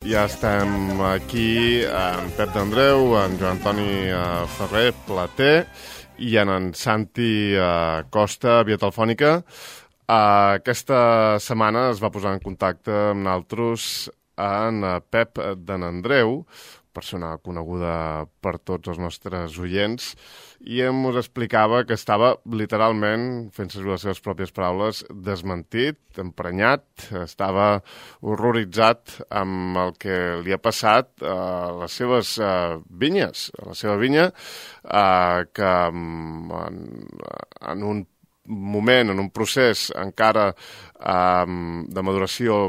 Ja estem aquí, en Pep d'Andreu, en Joan Antoni Ferrer, Plater, i en Santi Costa, via telefònica. Aquesta setmana es va posar en contacte amb nosaltres en Pep d'Andreu, persona coneguda per tots els nostres oients, i ens explicava que estava literalment, fent servir les seves pròpies paraules, desmentit, emprenyat, estava horroritzat amb el que li ha passat a les seves vinyes, a la seva vinya, que en un moment, en un procés encara de maduració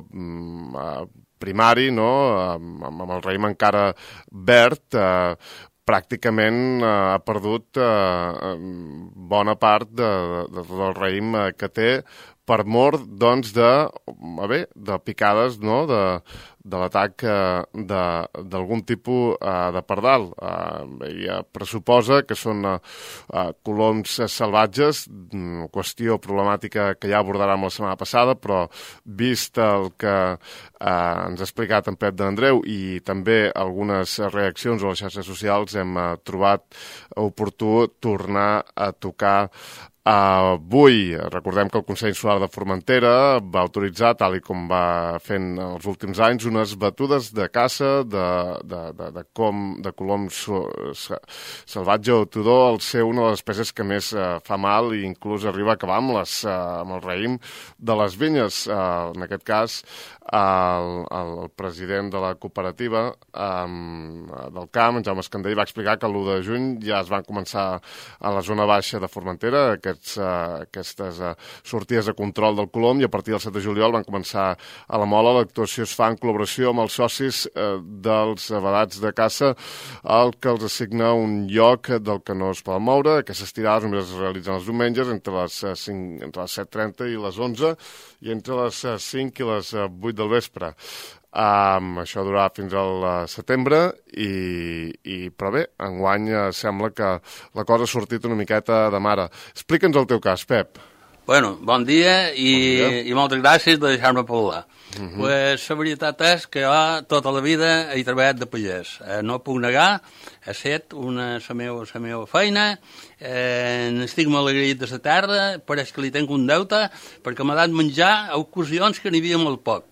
primari, no? Amb el raïm encara verd, pràcticament ha perdut bona part del raïm que té per mor, doncs, de picades, no?, de l'atac d'algun tipus de pardal. Ella pressuposa que són coloms salvatges, qüestió problemàtica que ja abordarem la setmana passada, però vist el que ens ha explicat en Pep d'Andreu i també algunes reaccions a les xarxes socials, hem trobat oportú tornar a tocar avui. Recordem que el Consell Insular de Formentera va autoritzar, tal i com va fent els últims anys, unes batudes de caça de colom salvatge o tudó, al ser una de les espècies que més fa mal i inclús arriba a acabar amb el raïm de les vinyes. En aquest cas, el president de la cooperativa del camp, en Jaume Escandell, va explicar que l'1 de juny ja es van començar a la zona baixa de Formentera aquestes sortides de control del colom, i a partir del 7 de juliol van començar a la Mola. L'actuació es fa en col·laboració amb els socis dels vedats de caça, el que els assigna un lloc del que no es poden moure. Aquestes tirades només es realitzen els diumenges entre les 7:30 i les 11 i entre les 5 i les 8 del vespre. Això durarà fins al setembre, però bé, enguany sembla que la cosa ha sortit una miqueta de mare. Explica'ns el teu cas, Pep. Bueno, bon dia i moltes gràcies de deixar-me parlar. Pues la veritat és que jo tota la vida he treballat de pagès. No puc negar, he fet la meva feina, n'estic molt agraït de la terra, pareix que li tenc un deute, perquè m'ha dat menjar a ocasions que n'hi havia molt poc.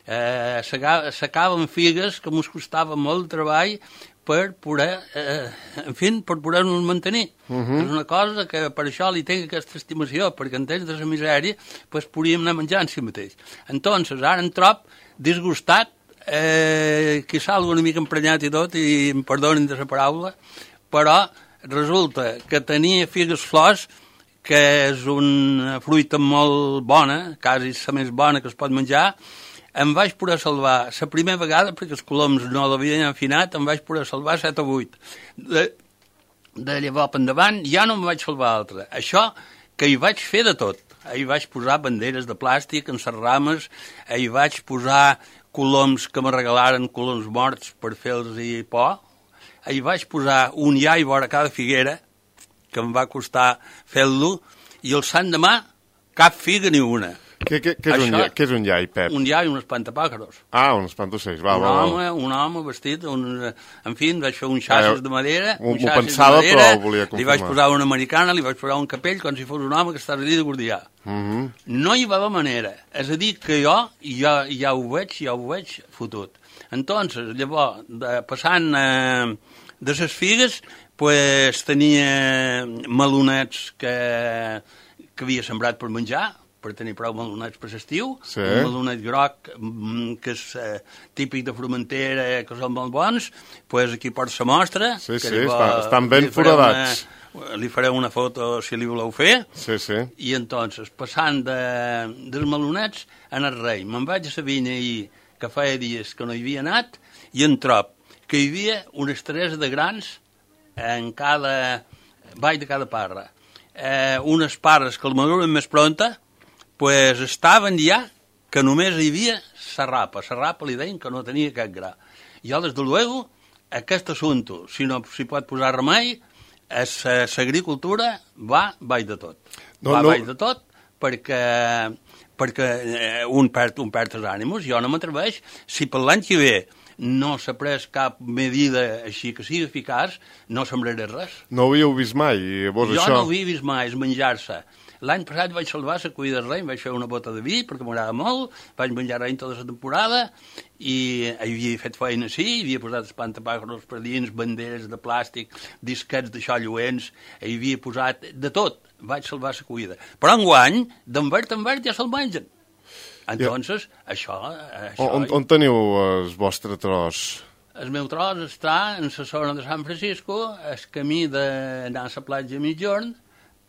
S'acaben figues que mos costava molt treball per poder, per poder-nos mantenir. És una cosa que per això li tinc aquesta estimació, perquè en temps de la misèria podríem anar menjant si mateix. Entonces, ara em trob disgustat, que salgo una mica emprenyat i tot, i em perdonin de la paraula, però resulta que tenia figues flors, que és una fruita molt bona, quasi la més bona que es pot menjar. Em vaig poder salvar la primera vegada, perquè els coloms no l'havien afinat, em vaig poder salvar 7 o 8. De llavors endavant ja no em vaig salvar altra. Això que hi vaig fer de tot. Hi vaig posar banderes de plàstic en les rames, hi vaig posar coloms que me regalaren, coloms morts per fer-los por, hi vaig posar un iai vora cada figuera, que em va costar fer-lo, i el sant demà cap figa ni una. Què és un iai, Pep? Un iai, un espantapàjaros. Un espantaocells, va. Un home vestit, en fi, vaig fer un xassis de madera, m'ho pensava, però volia confirmar. Li vaig posar una americana, li vaig posar un capell, com si fos un home que estava allà de guardià. No hi va haver manera. És a dir, que jo ja ho veig fotut. Entonces, llavors, passant de les figues, tenia melonets que havia sembrat per menjar, per tenir prou melonets per l'estiu, un melonet groc que és típic de Formentera, que són molt bons, aquí porta la mostra. Sí, estan ben foradats. Li faré una foto si li voleu fer. Sí. I entonces, passant dels melonets en el rei, me'n vaig a la vinya ahir, que feia dies que no hi havia anat, i en trob que hi havia unes 3 de grans en cada vall de cada parra. Unes parres que el maduren més pronta, estaven ja que només hi havia serrapa. Serrapa li deien que no tenia cap gra. I des de luego, aquest assumpte, si no s'hi pot posar remei, l'agricultura va baix de tot. Baix de tot perquè un perd els ànims. Jo no m'atreveix, si per l'any que ve no s'ha pres cap medida així que sigui eficaç, no sembraré res. No ho havíeu vist mai? Jo no ho havia vist mai, és menjar-se. L'any passat vaig salvar la cuida de rei, vaig fer una bota de vi, perquè m'agrada molt, vaig menjar rei tota la temporada, i havia fet feina així, havia posat espantapàjaros per dins, banderes de plàstic, disquets d'això lluents, havia posat de tot, vaig salvar la cuida. Però enguany, d'en verd en verd ja se'l mengen. Entonces, això... On teniu el vostre tros? El meu tros està en la zona de Sant Francisco, el camí d'anar a la platja mitjorn,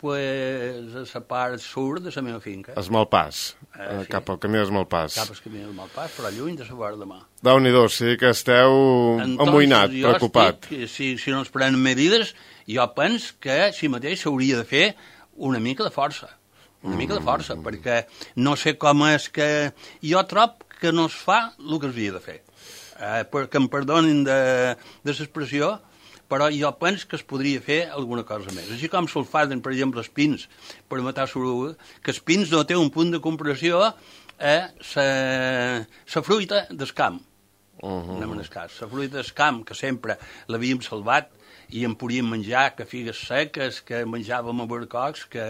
pues, a la part sud de la meva finca. Es Malpàs, sí. Cap al camí del Malpàs. Cap al camí del Malpàs, però lluny de la vora de mà. Déu-n'hi-do, sí que esteu amoïnat, preocupat. Si no es prenen medides, jo penso que si mateix s'hauria de fer una mica de força. Una mica de força, perquè no sé com és que... Jo trob que no es fa el que es havia de fer. Que em perdonin de l'expressió, però jo penso que es podria fer alguna cosa més. Així com se'l fan, per exemple, els pins per matar l'oruga, que els pins no té un punt de comparació a la fruita del camp. Anem en el cas. La fruita del camp, que sempre l'havíem salvat, i en podíem menjar que figues seques, que menjàvem albercocs, que,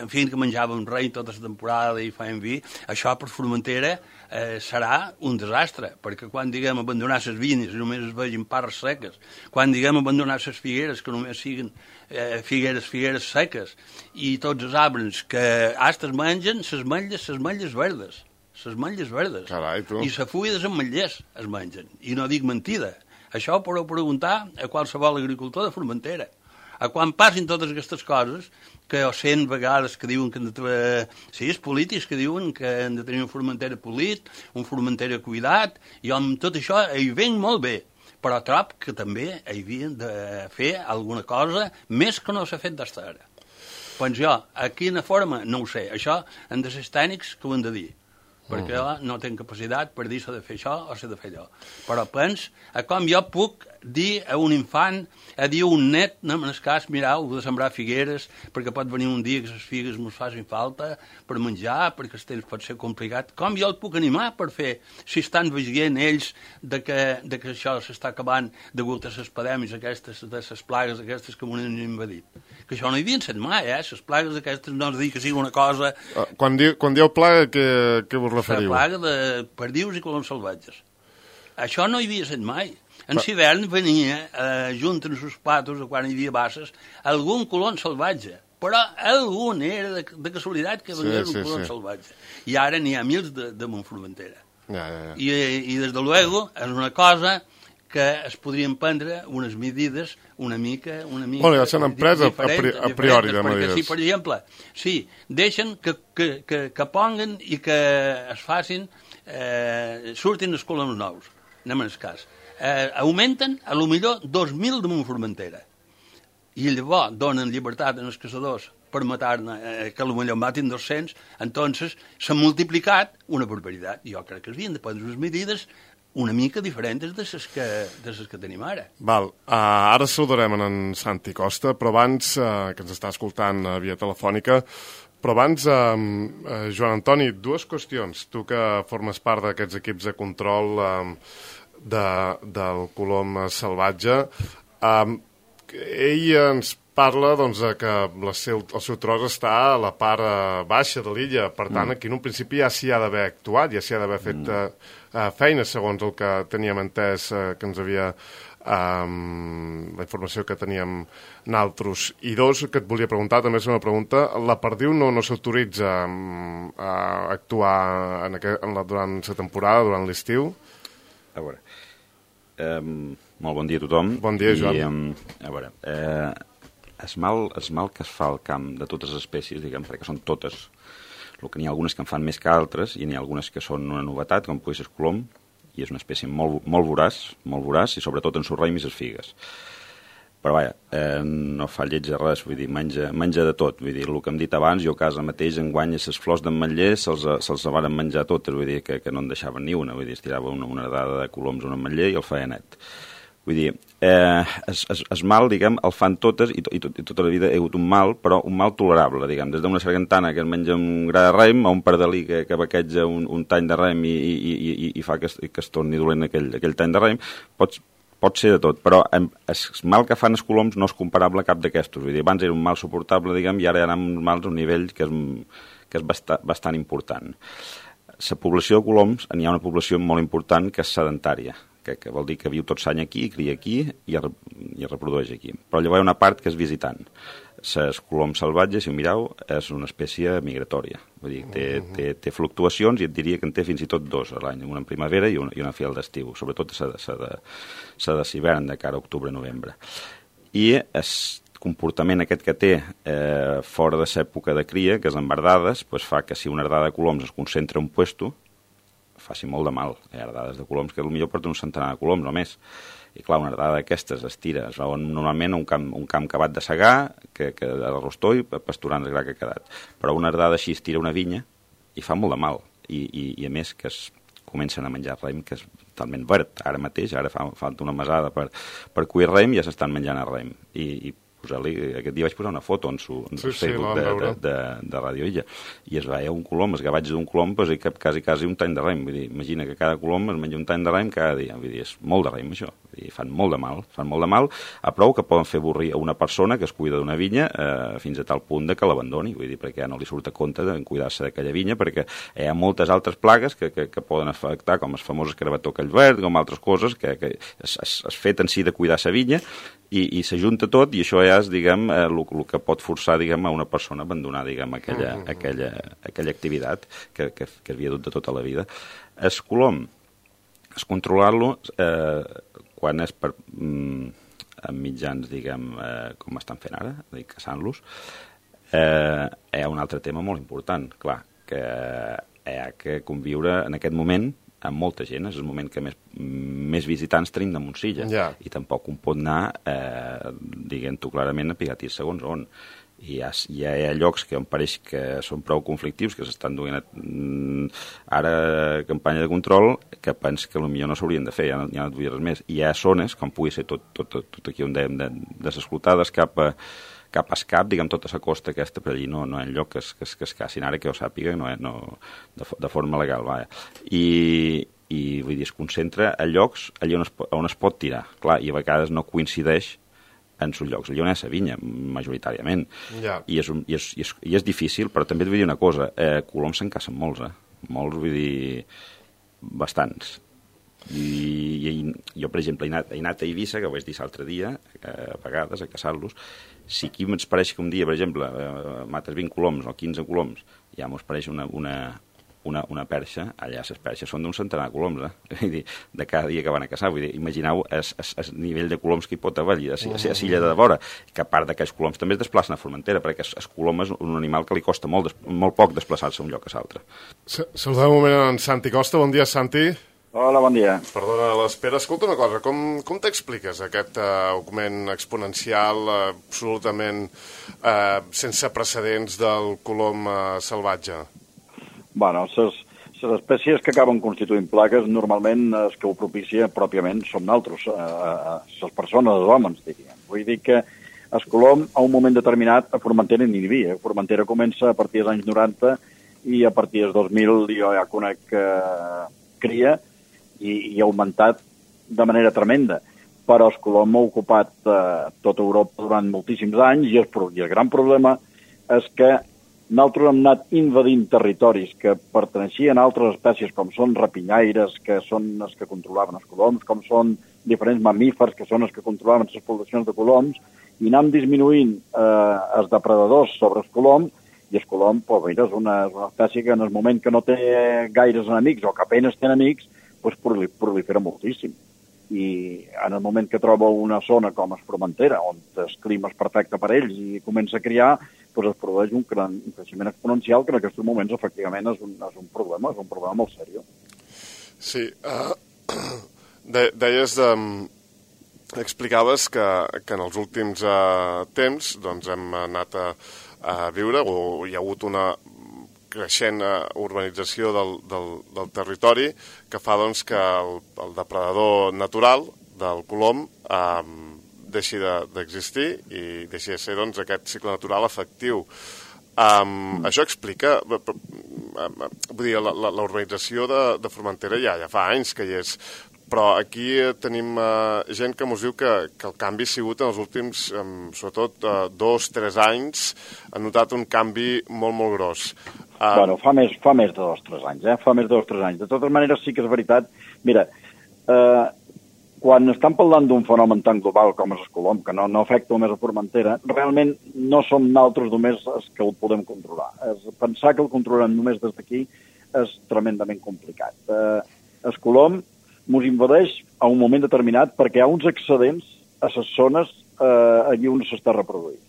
en fi, que menjàvem rei tota la temporada i fèiem vi, això per Formentera serà un desastre, perquè quan diguem abandonar les vinyes només es vegin parres seques, quan diguem abandonar les figueres que només siguin figueres seques, i tots els arbres que hasta es mengen les metlles verdes. Les metlles verdes. Carai, tu. I la fulla dels ametllers es mengen. I no dic mentida. Això ho podeu preguntar a qualsevol agricultor de Formentera. A quan passin totes aquestes coses, que ho sent vegades que diuen que han de... Sí, els polítics que diuen que han de tenir un Formentera polit, un Formentera cuidat, i amb tot això hi ven molt bé. Però trob que també hi havien de fer alguna cosa més que no s'ha fet d'hasta ara. Doncs jo, a quina forma, no ho sé. Això han de ser els tècnics que ho han de dir, perquè jo no tinc capacitat per dir s'ha de fer això o s'ha de fer allò. Però penso com jo puc dir a un infant, a dir a un net, en el cas, mirau, heu de sembrar figueres, perquè pot venir un dia que les figues mos facin falta per menjar, perquè el temps pot ser complicat. Com jo el puc animar per fer, si estan veient ells que això s'està acabant degut a les pandèmies aquestes, de les plagues aquestes que m'ho han invadit. Que això no hi havien set mai, les plagues aquestes no es dir que sigui una cosa... Quan dieu plaga, què vos referiu? La plaga de perdius i coloms salvatges. Això no hi havia set mai. En l'hivern venia, junt amb els patos, quan hi havia basses, algun colom salvatge. Però algun era de casualitat que venia un colom salvatge. I ara n'hi ha mils de Montformentera. I des de luego, és una cosa que es podrien prendre unes medides una mica bueno, ja s'han emprès a priori de medides. Perquè si, per exemple, deixen que ponguen i que es facin, surtin els coloms nous, anem en el cas. Augmenten a lo millor 2.000 de Montformentera i llavors donen llibertat als caçadors per matar-ne, que potser en matin 200, entonces s'ha multiplicat una barbaritat. Jo crec que s'havien de prendre unes medides una mica diferents de les que tenim ara. Val. Ara saludarem en Santi Costa, però abans, que ens està escoltant via telefònica, però abans, Joan Antoni, dues qüestions. Tu que formes part d'aquests equips de control del colom salvatge, ell ens parla doncs, que el seu tros està a la part baixa de l'illa, per tant, aquí en un principi ja s'hi ha d'haver actuat, ja s'hi ha d'haver fet feina, segons el que teníem entès, que ens havia la informació que teníem naltros. I dos, que et volia preguntar, també és una pregunta, la perdiu no s'autoritza a actuar durant la temporada, durant l'estiu? A veure, molt bon dia a tothom. Bon dia, Joan. A veure, el mal que es fa al camp de totes les espècies, diguem, perquè són totes, el que n'hi ha algunes que en fan més que altres, i n'hi ha algunes que són una novetat, com pugui ser el colom, i és una espècie molt voraç, i sobretot en sus raïms i les figues. Però vaja, no fa lleig de res, vull dir, menja de tot. Vull dir, el que hem dit abans, jo a casa mateix enguany les flors d'ametller se'ls varen menjar totes, vull dir, que no en deixaven ni una, vull dir, es tirava una dada de coloms a un ametller i el feia net. Vull dir, es mal, diguem, el fan totes i tota la vida he hagut un mal, però un mal tolerable, diguem, des d'una sargantana que es menja un gra de raïm a un pardalí que baqueja un tany de raïm i fa que es torni dolent aquell tany de raïm, pot ser de tot, però el mal que fan els coloms no és comparable a cap d'aquestos. Vull dir, abans era un mal suportable, diguem, i ara hi ha uns mals a un nivell que és bastant important. La població de coloms, n'hi ha una població molt important que és sedentària, que vol dir que viu tot l'any aquí, cria aquí i es reprodueix aquí. Però llavors hi ha una part que és visitant. Les coloms salvatges, si ho mireu, és una espècie migratòria. Vull dir, té fluctuacions i et diria que en té fins i tot dos a l'any, una en primavera i una fi al d'estiu, sobretot la de l'hivern, de cara a octubre-novembre. I el comportament aquest que té fora de l'època de cria, que és en verdades, fa que si una herdada de coloms es concentra en un puesto, faci molt de mal. Hi ha herdades de coloms que potser porten un centenar de coloms o més. I clar, una herdada d'aquestes es tira, es veuen normalment un camp acabat de segar, que a l'arrostó i pasturant el gra que ha quedat. Però una herdada així es tira una vinya i fa molt de mal. I a més que comencen a menjar raïm, que és totalment verd. Ara mateix, ara falta una mesada per cuir raïm i ja s'estan menjant el raïm. I aquest dia vaig posar una foto en el Facebook de Radio Illa i es veia un colom, el gavatge d'un colom quasi un tany de raïm. Vull dir, imagina que cada colom es menja un tany de raïm cada dia. Vull dir, és molt de raïm això. Vull dir, fan molt de mal a prou que poden fer avorrir a una persona que es cuida d'una vinya fins a tal punt que l'abandoni. Vull dir, perquè ja no li surt a compte de cuidar-se d'aquella vinya, perquè hi ha moltes altres plagues que poden afectar, com el famós escarabató aquell verd, com altres coses que es fet en si de cuidar la vinya i s'ajunta tot i això ja és, diguem, el que pot forçar, diguem, a una persona a abandonar, diguem, aquella activitat que havia dut de tota la vida. El colom, controlar-lo, quan és en mitjans, diguem, com estan fent ara, caçant-los, hi ha un altre tema molt important, clar, que hi ha que conviure en aquest moment amb molta gent, és el moment que més visitants tenim de Montsilla, i tampoc un pot anar, diguem-ho clarament, a pigatir segons on. Hi ha llocs que em pareix que són prou conflictius, que s'estan duent ara campanya de control, que penso que potser no s'haurien de fer, ja no et vull res més. Hi ha zones, com pugui ser tot aquí on dèiem, desescoltades cap a escap, diguem, tota la costa aquesta, per allí no hi ha lloc que es cacin, ara que ho sàpiga, de forma legal, vaja. I vull dir, es concentra a llocs allà on es pot tirar, clar, i a vegades no coincideix en els llocs. Allà on és la vinya, majoritàriament. I és difícil, però també et vull dir una cosa, coloms se'n cacen molts, molts, vull dir, bastants. I jo, per exemple, he anat a Eivissa, que ho vaig dir l'altre dia, a vegades, a caçar-los. Si aquí ens pareix que un dia, per exemple, mates 20 coloms o 15 coloms, ja mos pareix una perxa, allà les perxes són d'un centenar de coloms, vull dir, de cada dia que van a caçar. Vull dir, imagineu el nivell de coloms que hi pot haver allà, a l'illa de vora, que a part d'aquells coloms també es desplacen a Formentera, perquè el colom és un animal que li costa molt poc desplaçar-se d'un lloc a l'altre. Saludem un moment en Santi Costa. Bon dia, Santi. Hola, bon dia. Perdona l'espera. Escolta una cosa, com t'expliques aquest augment exponencial absolutament sense precedents del colom salvatge? Bueno, les espècies que acaben constituint plagues, normalment els que ho propicia pròpiament som nosaltres, les persones, els homes, diríem. Vull dir que el colom, a un moment determinat, a Formentera n'hi havia. Formentera comença a partir dels anys 90 i a partir dels 2000 jo ja conec cria i ha augmentat de manera tremenda. Però el colom ha ocupat tota Europa durant moltíssims anys i el gran problema és que nosaltres hem anat invadint territoris que perteneixien a altres espècies com són rapinyaires, que són els que controlaven els coloms, com són diferents mamífers, que són els que controlaven les poblacions de coloms, i anem disminuint els depredadors sobre els coloms, i el colom, mira, és una espècie que en el moment que no té gaires enemics o que apenas té enemics, prolifera moltíssim. I en el moment que troba una zona com es Formentera, on el clima és perfecte per ells i comença a criar, es produeix un creixement exponencial que en aquests moments efectivament és un problema molt seriós. Sí, deies, explicaves que en els últims temps hem anat a viure, o hi ha hagut una creixent urbanització del territori que fa que el depredador natural del colom deixi d'existir i deixi de ser doncs, aquest cicle natural efectiu. Això explica... Vull dir, la urbanització de Formentera ja fa anys que hi és, però aquí tenim gent que ens diu que el canvi ha sigut en els últims, sobretot 2-3 anys, han notat un canvi molt, molt gros. Bueno, fa més de 2-3 anys, fa més de 2-3 anys. De totes maneres, sí que és veritat. Mira, quan estan parlant d'un fenomen tan global com és el colom, que no afecta només a Formentera, realment no som nosaltres només els que el podem controlar. Pensar que el controlem només des d'aquí és tremendament complicat. El colom ens invadeix a un moment determinat perquè hi ha uns excedents a les zones allí on s'està reproduint.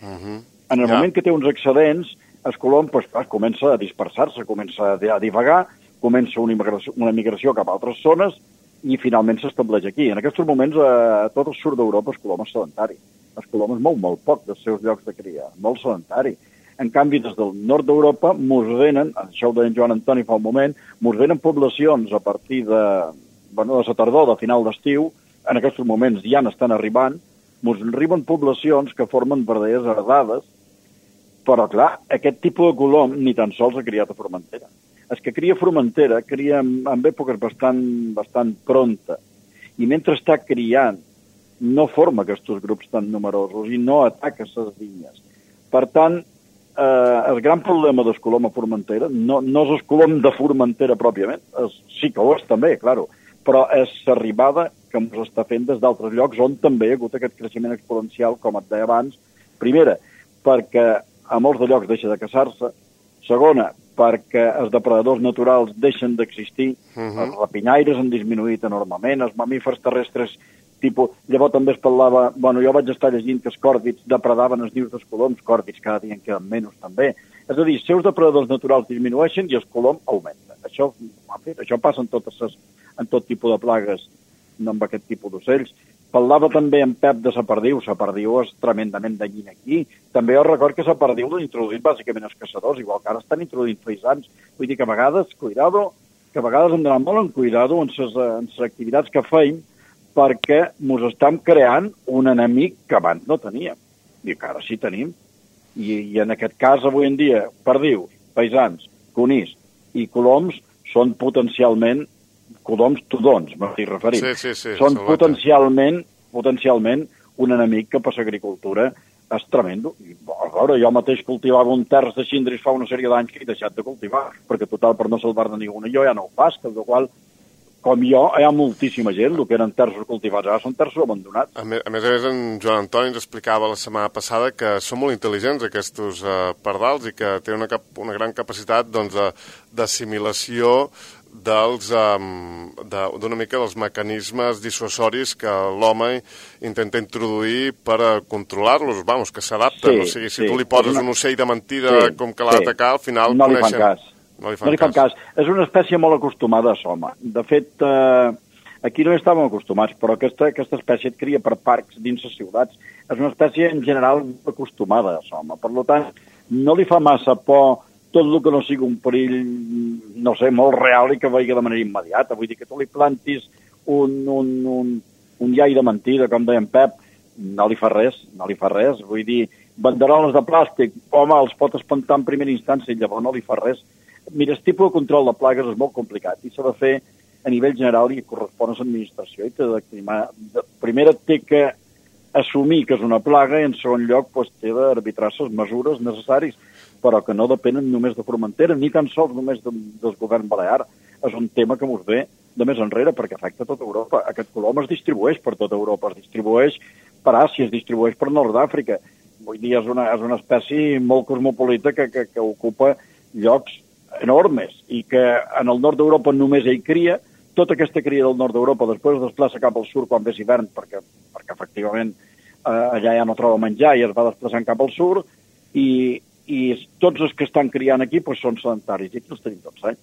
En el moment que té uns excedents, el colom comença a dispersar-se, comença a divagar, comença una migració cap a altres zones i finalment s'estableix aquí. En aquests moments, a tot el sud d'Europa, el colom és sedentari. El colom es mou molt poc dels seus llocs de cria, molt sedentari. En canvi, des del nord d'Europa, mos venen, això ho deia en Joan Antoni fa un moment, mos venen poblacions a partir de la tardor, de final d'estiu, en aquests moments ja n'estan arribant, mos arriben poblacions que formen verdaderes herdades, però, clar, aquest tipus de colom ni tan sols ha criat a Formentera. El que cria a Formentera cria en èpoques bastant pronta, i mentre està criant no forma aquests grups tan numerosos i no ataca les vinyes. Per tant, el gran problema del colom a Formentera no és el colom de Formentera pròpiament, sí que ho és també, claro, però és l'arribada que ens està fent des d'altres llocs on també hi ha hagut aquest creixement exponencial, com et deia abans. Primera, perquè a molts de llocs deixa de caçar-se. Segona, perquè els depredadors naturals deixen d'existir. Els rapinyaires han disminuït enormement, els mamífers terrestres tipus... Llavors també es parlava... jo vaig estar llegint que els còrvids depredaven els nius dels coloms, còrvids cada dia en queden menys també. És a dir, els seus depredadors naturals disminueixen i el colom augmenta. Això passa en tot tipus de plagues, no amb aquest tipus d'ocells. Parlava també en Pep de la perdiu. La perdiu és tremendament danyina aquí. També jo record que la perdiu l'han introduït bàsicament els caçadors, igual que ara estan introduint faisans. Vull dir que a vegades, hem d'anar molt en cuidado en les activitats que feim, perquè ens estem creant un enemic que abans no teníem. I que ara sí tenim. I en aquest cas, avui en dia, perdius, faisans, conills i coloms són potencialment coloms tudons, m'estic referint. Sí, són potencialment un enemic que per l'agricultura és tremendo. I, a veure, jo mateix cultivava un terç de xindris fa una sèrie d'anys que he deixat de cultivar, perquè total, per no salvar-ne ninguna, jo ja no ho faig, amb la qual com jo, hi ha moltíssima gent, el que eren terços cultivats ara són terços abandonats. A més, en Joan Antoni ens explicava la setmana passada que són molt intel·ligents aquests pardals i que tenen una gran capacitat d'assimilació d'una mica dels mecanismes dissuasoris que l'home intenta introduir per controlar-los, que s'adapten. O sigui, si tu li poses un ocell de mentida com que l'ha d'atacar, al final no li fan cas. No li fan cas. És una espècie molt acostumada a l'home. De fet, aquí no hi estàvem acostumats, però aquesta espècie et cria per parcs dins les ciutats. És una espècie, en general, acostumada a l'home. Per tant, no li fa massa por tot el que no sigui un perill, no sé, molt real i que vegi de manera immediata. Vull dir que tu li plantis un llai de mentida, com deia en Pep, no li fa res. Vull dir, banderoles de plàstic, home, els pot espantar en primera instància i llavors no li fa res. Mira, el tipus de control de plagues és molt complicat i s'ha de fer a nivell general i correspon a l'administració. Primera té que assumir que és una plaga i en segon lloc té d'arbitrar les mesures necessàries, però que no depenen només de Formentera, ni tan sols només del govern balear. És un tema que ens ve de més enrere perquè afecta tota Europa. Aquest colom es distribueix per tota Europa, es distribueix per Àsia, es distribueix per Nord d'Àfrica. Vull dir, és una espècie molt cosmopolita que ocupa llocs enormes i que en el nord d'Europa només ell cria. Tota aquesta cria del nord d'Europa després es desplaça cap al sud quan ve hivern perquè efectivament allà ja no troba menjar i es va desplaçant cap al sud i tots els que estan criant aquí són sedentaris i aquí els tenim tots.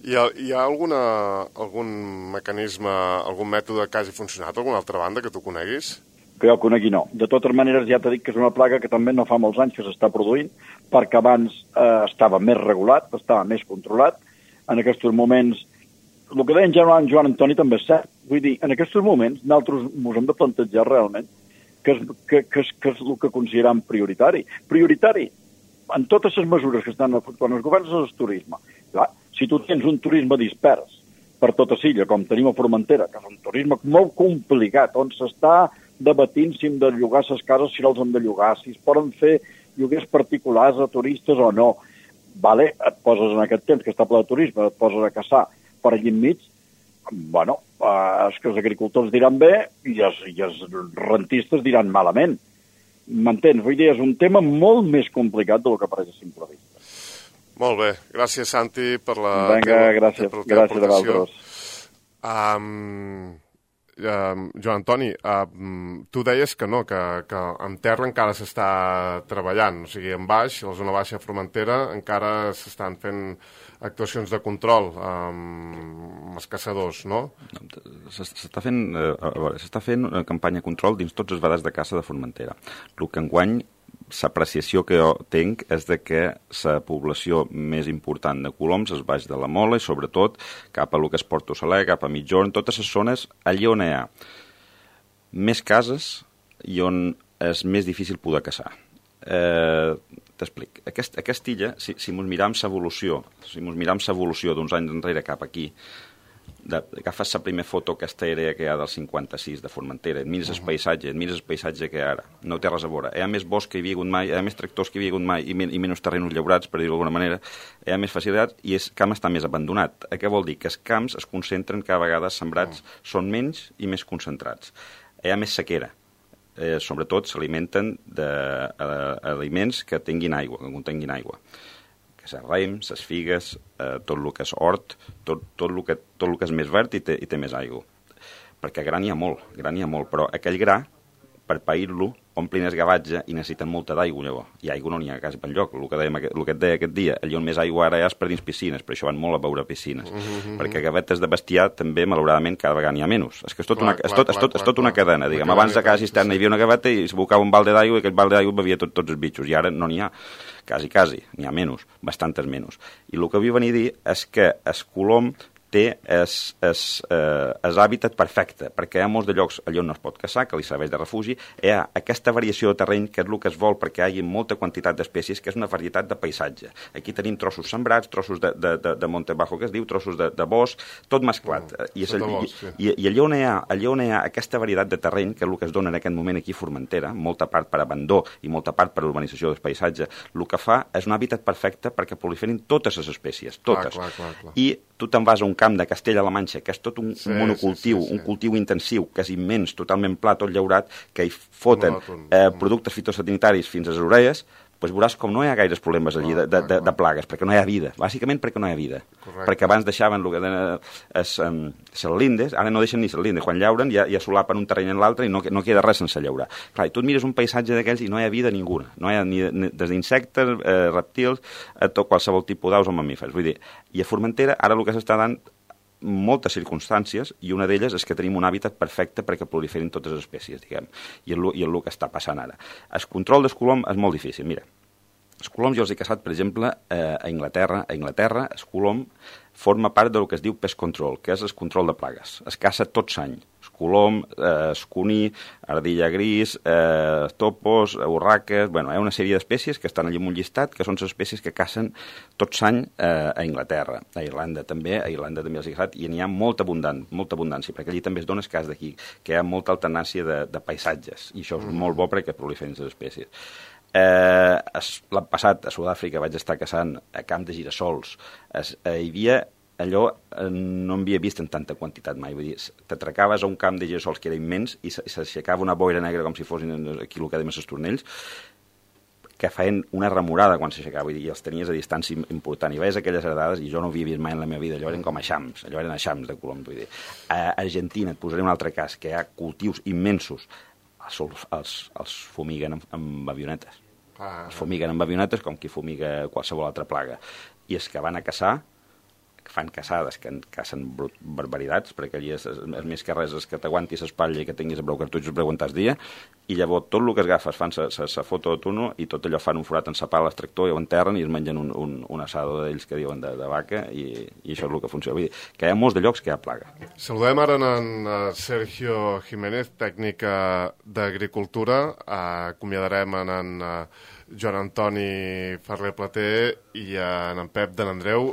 Hi ha algun mecanisme, algun mètode que hagi funcionat d'alguna altra banda que tu coneguis? Que jo conegui no. De totes maneres ja t'he dit que és una plaga que també no fa molts anys que s'està produint, perquè abans estava més regulat, estava més controlat. En aquests moments, el que deia en Joan Antoni també és cert. Vull dir, en aquests moments nosaltres ens hem de plantejar realment què és el que considerem prioritari. Prioritari en totes les mesures que estan quan els governs és el turisme. Clar, si tu tens un turisme dispers per tota l'illa, com tenim a Formentera, que és un turisme molt complicat, on s'està debatint si hem de llogar les cases, si no els hem de llogar, si es poden fer lloguers particulars a turistes o no. Vale, et poses en aquest temps que està ple de turisme, et poses a caçar per allí enmig, bueno, és que els agricultors diran bé i els rentistes diran malament. M'entens? Vull dir, és un tema molt més complicat del que pareix a simple vista. Molt bé. Gràcies, Santi, per la Vinga, gràcies a vosaltres. Joan Antoni, tu deies que no, que en terra encara s'està treballant, o sigui, en baix, a la zona baixa de Formentera, encara s'estan fent actuacions de control amb els caçadors, no? S'està fent una campanya de control dins tots els vedats de caça de Formentera. El que enguany, l'apreciació que jo tinc és de que la població més important de coloms és baix de la Mola i sobretot cap a lo que és Porto Saler, cap a Mitjorn, totes les zones allà on hi ha més cases i on és més difícil poder caçar. T'explic. Aquesta illa, si ens miram l'evolució, d'uns anys enrere cap aquí, agafes la primera foto aquesta àrea que hi ha del 56 de Formentera, et mires el paisatge que hi ha ara, no té res a veure. Hi ha més bosc que hi havia hagut mai, hi ha més tractors que hi havia hagut mai i menys terrenys llaurats, per dir-ho d'alguna manera, hi ha més facilitats i el camp està més abandonat. Què vol dir? Que els camps es concentren cada vegada sembrats, són menys i més concentrats. Hi ha més sequera. Sobretot s'alimenten d'aliments que tinguin aigua, que contenguin aigua. Que és raïm, les figues, tot el que és hort, tot el que és més verd i té més aigua. Perquè gra n'hi ha molt, però aquell gra, per pair-lo, omplin el gavatge i necessiten molta d'aigua, llavors. I aigua no n'hi ha quasi per lloc. El que et deia aquest dia, allà on més aigua ara hi ha és per dins piscines, per això van molt a veure piscines. Perquè gavetes de bestiar també, malauradament, cada vegada n'hi ha menys. És que és tot una cadena, diguem. Abans de cada cisterna hi havia una gaveta i s'abocava un balde d'aigua i aquell balde d'aigua bevia tots els bitxos. I ara no n'hi ha, quasi, n'hi ha menys, bastantes menys. I el que vull venir a dir és que el colom té el hàbitat perfecte, perquè hi ha molts de llocs allà on no es pot caçar, que li serveix de refugi, hi ha aquesta variació de terreny que és el que es vol perquè hi hagi molta quantitat d'espècies, que és una varietat de paisatge. Aquí tenim trossos sembrats, trossos de monte bajo, que es diu, trossos de bosc, tot mesclat. I allà on hi ha aquesta varietat de terreny, que és el que es dona en aquest moment aquí a Formentera, molta part per abandó i molta part per urbanització del paisatge, el que fa és un hàbitat perfecte perquè proliferin totes les espècies, totes. I tu te'n vas a un camp de Castella-La Manxa, que és tot un monocultiu, un cultiu intensiu, que és immens, totalment pla, tot llaurat, que hi foten productes fitosanitaris fins a les orelles, doncs veuràs com no hi ha gaires problemes allí de plagues, perquè no hi ha vida, bàsicament perquè no hi ha vida. Perquè abans deixaven el que eren les lindes, ara no deixen ni les lindes, quan llauren ja solapen un terreny en l'altre i no queda res sense llaurar. Clar, i tu et mires un paisatge d'aquells i no hi ha vida ninguna, no hi ha ni des d'insectes, reptils, tot qualsevol tipus d'aus o mamífers. Vull dir, i a Formentera ara el que s'està dant moltes circumstàncies i una d'elles és que tenim un hàbitat perfecte perquè proliferin totes les espècies, diguem, i és el que està passant ara. El control del colom és molt difícil. Mira, els coloms jo els he caçat, per exemple, a Inglaterra. A Inglaterra el colom forma part del que es diu pest control, que és el control de plagues. Es caça tot l'any. El colom, escuní, ardilla gris, topos, urraques... Bueno, hi ha una sèrie d'espècies que estan allà en un llistat, que són les espècies que cacen tot l'any a Inglaterra. A Irlanda també els he caçat, i n'hi ha molta abundància, perquè allí també es dona el cas d'aquí, que hi ha molta alternància de paisatges, i això és molt bo perquè proliferin les espècies. L'any passat a Sud-àfrica vaig estar caçant a camp de girassols. Hi havia allò, no havia vist en tanta quantitat mai. Vull dir, t'atracaves a un camp de girassols que era immens i s'aixecava una boira negra com si fossin aquí el que dèiem els estornells, que feien una remorada quan s'aixecava, i els tenies a distància important. I veies aquelles heredades i jo no havia vist mai en la meva vida. Allò eren com eixams, de colom. Vull dir. A Argentina, et posaré un altre cas, que hi ha cultius immensos. Els fumiguen amb avionetes. Els fumiguen amb avionetes com qui fumiga qualsevol altra plaga. I els que van a caçar fan caçades, que cacen barbaritats, perquè allí és més que res és que t'aguantis l'espatlla i que tinguis prou cartutxos per aguantar el dia, i llavors tot el que es agafa fan la foto de tuno i tot allò fan un forat en la pala, el tractor, i ho enterren i es mengen un assado d'ells que diuen de vaca, i això és el que funciona. Vull dir, que hi ha molts de llocs que hi ha plaga. Saludem ara en Sergio Jiménez, tècnic d'Agricultura. Acomiadarem en Joan Antoni Ferrer Plater i en Pep de n'Andreu.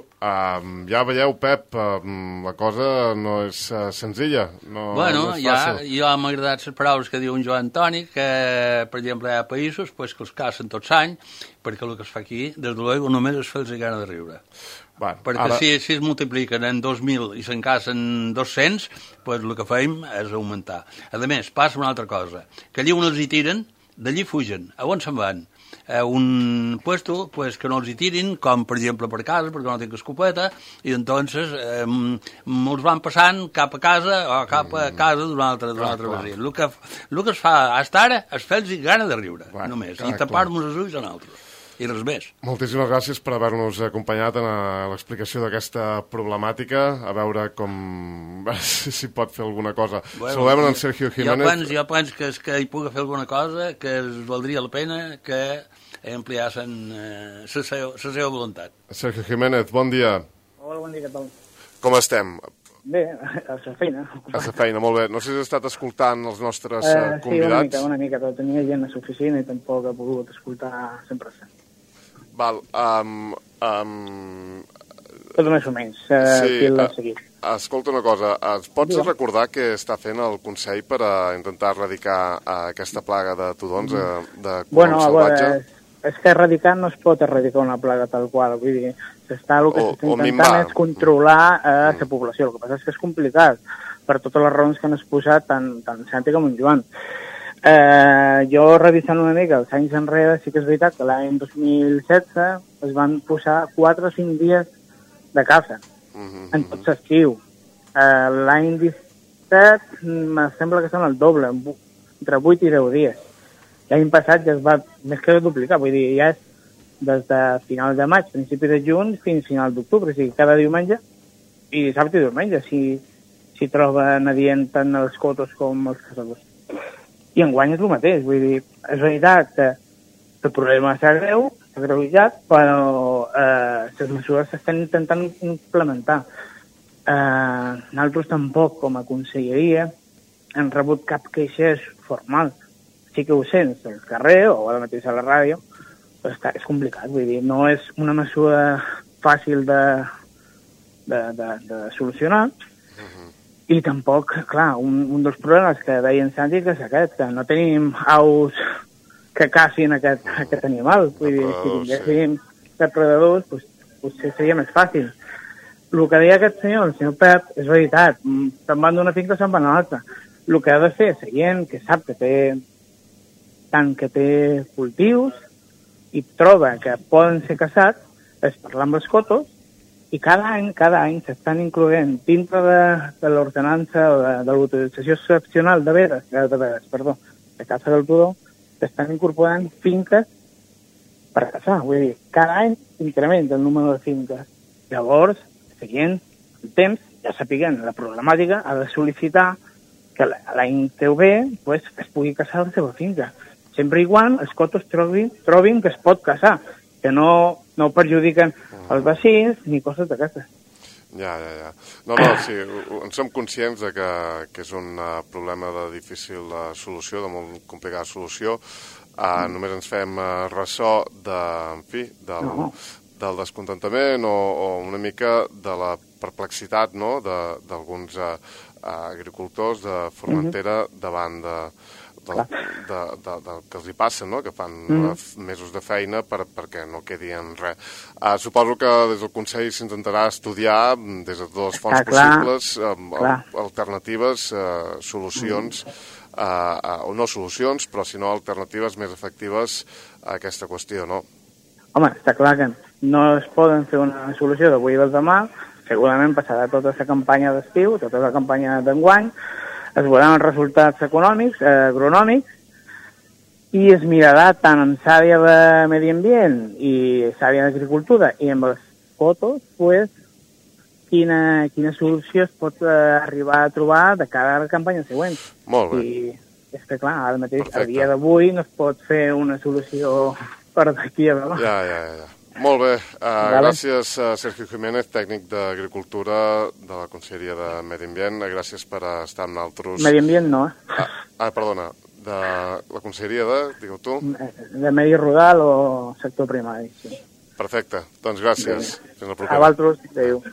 Ja veieu, Pep, la cosa no és senzilla, no és fàcil. Jo m'ha agradat les paraules que diu en Joan Antoni, que, per exemple, hi ha països que els cacen tots l'any, perquè el que es fa aquí, des de l'ego, només es fa els gana de riure. Perquè si es multipliquen en 2.000 i se'n cacen 200, pues el que fem és augmentar. A més, passa una altra cosa, que allí on els hi tiren, d'allí fugen. A on se'n van? A un puesto pues, que no els hi tirin, com per exemple per casa, perquè no tinc escopeta, i entonces molts van passant cap a casa o cap a casa d'un altre vecí. El que es fa fins ara és fer-los gana de riure, només, i tapar-nos els ulls a nosaltres. I res més. Moltíssimes gràcies per haver-nos acompanyat en l'explicació d'aquesta problemàtica, a veure si pot fer alguna cosa. Saludem en Sergio Jiménez. Jo penso que hi pugui fer alguna cosa, que es valdria la pena que ampliassen la seva voluntat. Sergio Jiménez, bon dia. Hola, bon dia, què tal? Com estem? Bé, a la feina. A la feina, molt bé. No sé si has estat escoltant els nostres convidats. Sí, una mica. Tenia gent a l'oficina i tampoc he pogut escoltar 100%. Val. Tot més o menys. Sí, escolta una cosa. Ens pots recordar què està fent el Consell per intentar erradicar aquesta plaga de tudons, de colom salvatge? És que erradicar no es pot erradicar una plaga tal qual. Vull dir, el que s'està intentant és controlar la població. El que passa és que és complicat per totes les raons que han exposat tant Santi com en Joan. Jo, revisant una mica els anys enrere, sí que és veritat que l'any 2016 es van posar 4 o 5 dies de caça en tot l'estiu. L'any 17 me sembla que són el doble, entre 8 i 10 dies. L'any passat ja es va més que duplicar, vull dir, ja és des de final de maig, principi de juny, fins final d'octubre, o sigui, cada diumenge i dissabte i diumenge s'hi troben adient tant els cotos com els caçadors. I enguany és el mateix, vull dir, és veritat que el problema s'ha agreujat, però les mesures s'estan intentant implementar. Nosaltres tampoc, com a conselleria, hem rebut cap queixes formal. Sí que ho sents al carrer o ara mateix a la ràdio, però és complicat, vull dir, no és una mesura fàcil de solucionar. I tampoc, clar, un dels problemes que deien Santi és aquest, que no tenim aus que cacin aquest animal. Vull dir, si tinguéssim depredadors, potser seria més fàcil. El que deia aquest senyor, el senyor Pep, és veritat. Se'n van d'una finca, se'n van a l'altra. El que ha de fer la gent que sap que té cultius i troba que poden ser caçats és parlar amb els cotos, i cada any s'estan incloent dintre de l'ordenança o de l'autorització excepcional de caça del tudó, s'estan incorporant finques per caçar. Vull dir, cada any incrementa el número de finques. Llavors, seguint el temps, ja sapiguem la problemàtica, ha de sol·licitar que l'any que ve es pugui caçar la seva finca. Sempre i quan els cotos trobin que es pot caçar, que no perjudiquen els vecins ni coses d'aquestes. Ja. No, sí, en som conscients de que és un problema de difícil solució, de molt complicada solució. Només ens fem ressò del descontentament o una mica de la perplexitat, no?, d'alguns agricultors de Formentera davant del que els hi passa, no?, que fan mesos de feina perquè no quedi en res. Suposo que des del Consell s'intentarà estudiar des de totes les fonts possibles alternatives, solucions, o no solucions, però sinó alternatives més efectives a aquesta qüestió, no? Home, està clar que no es poden fer una solució d'avui o demà, segurament passarà tota la campanya d'estiu, tota la campanya d'enguany, es veuran els resultats econòmics, agronòmics, i es mirarà tant en l'àrea de medi ambient i l'àrea d'agricultura i amb els fotos, quina solució es pot arribar a trobar de cara a la campanya següent. Molt bé. I és que, clar, ara mateix, a dia d'avui, no es pot fer una solució per d'aquí a demà. Ja. Molt bé. Gràcies, Sergio Jiménez, tècnic d'Agricultura de la Conselleria de Medi Ambient. Gràcies per estar amb nosaltres. Medi Ambient no, perdona, de la Conselleria de, digueu tu? De Medi Rural o sector primari, sí. Perfecte, doncs gràcies. Fins la propera. A vosaltres, adéu.